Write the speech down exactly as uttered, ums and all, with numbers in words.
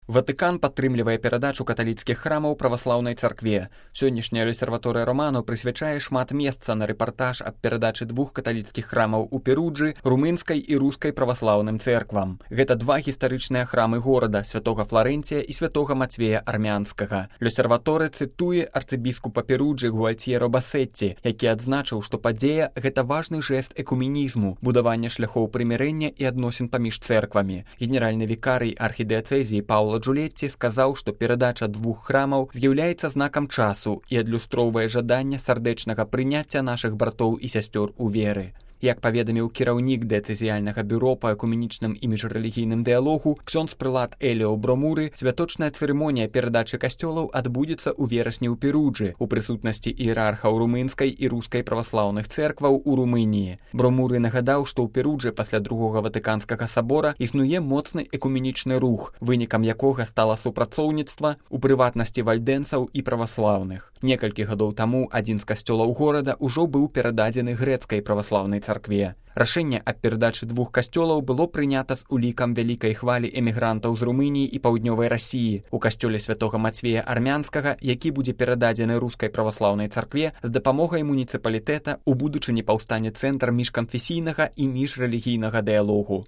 Ватыкан падтрымлівае перадачу каталіцкіх храмаў праваслаўнай царкве. Сённяшняя Лосерваторыя Романо прысвячае шмат месца на рэпартаж аб перадачы двух каталіцкіх храмаў у Перуджы румынскай і рускай праваслаўным цэрквам. Гэта два гістарычныя храмы горада святога Фларэнція і святога Мацвея Армянскага. Лосерваторы цытуе арцыбіскупа Перуджы Гуальтьеро Басетці, які адзначыў, што падзея гэта важны жэст экуменізму, будавання шляхоў прымірэння і адносін паміж цэрквамі. Генеральны вікарый архідыяцэзіі Паўла Джулетці сказаў, што перадача двух храмаў з'яўляецца знакам часу і адлюстроўвае жаданне сардэчнага прыняцця нашых братоў і сясцёр у веры. Як паведаміў кіраўнік дыяцэзіяльнага бюро па экуменічным і міжрэлігійным дыялогу ксёндз-прылад Эліо Бромуры, святочная цырымонія перадачы касцёлаў адбудзецца ў верасні ў Перуджы у прысутнасці іерархаў румынскай і рускай праваслаўных цэркваў у Румыніі. Бромуры нагадаў, што ў Перуджы пасля другога ватыканскага сабора існуе моцны экуменічны рух, вынікам якога стала супрацоўніцтва у прыватнасці вальдэнцаў і праваслаўных. Некалькі гадоў таму адзін з касцёлаў горада ўжо быў перададзены грэцкай праваслаўнай царкве. Рашэнне аб перадачы двух касцёлаў было прынята з улікам вялікай хвалі эмігрантаў з Румыніі і паўднёвай Расіі. У касцёле святога Мацвея Армянскага, які будзе перададзены рускай праваслаўнай царкве, з дапамогай муніцыпалітэта у будучыні паўстане цэнтр міжканфесійнага і міжрэлігійнага дыялогу.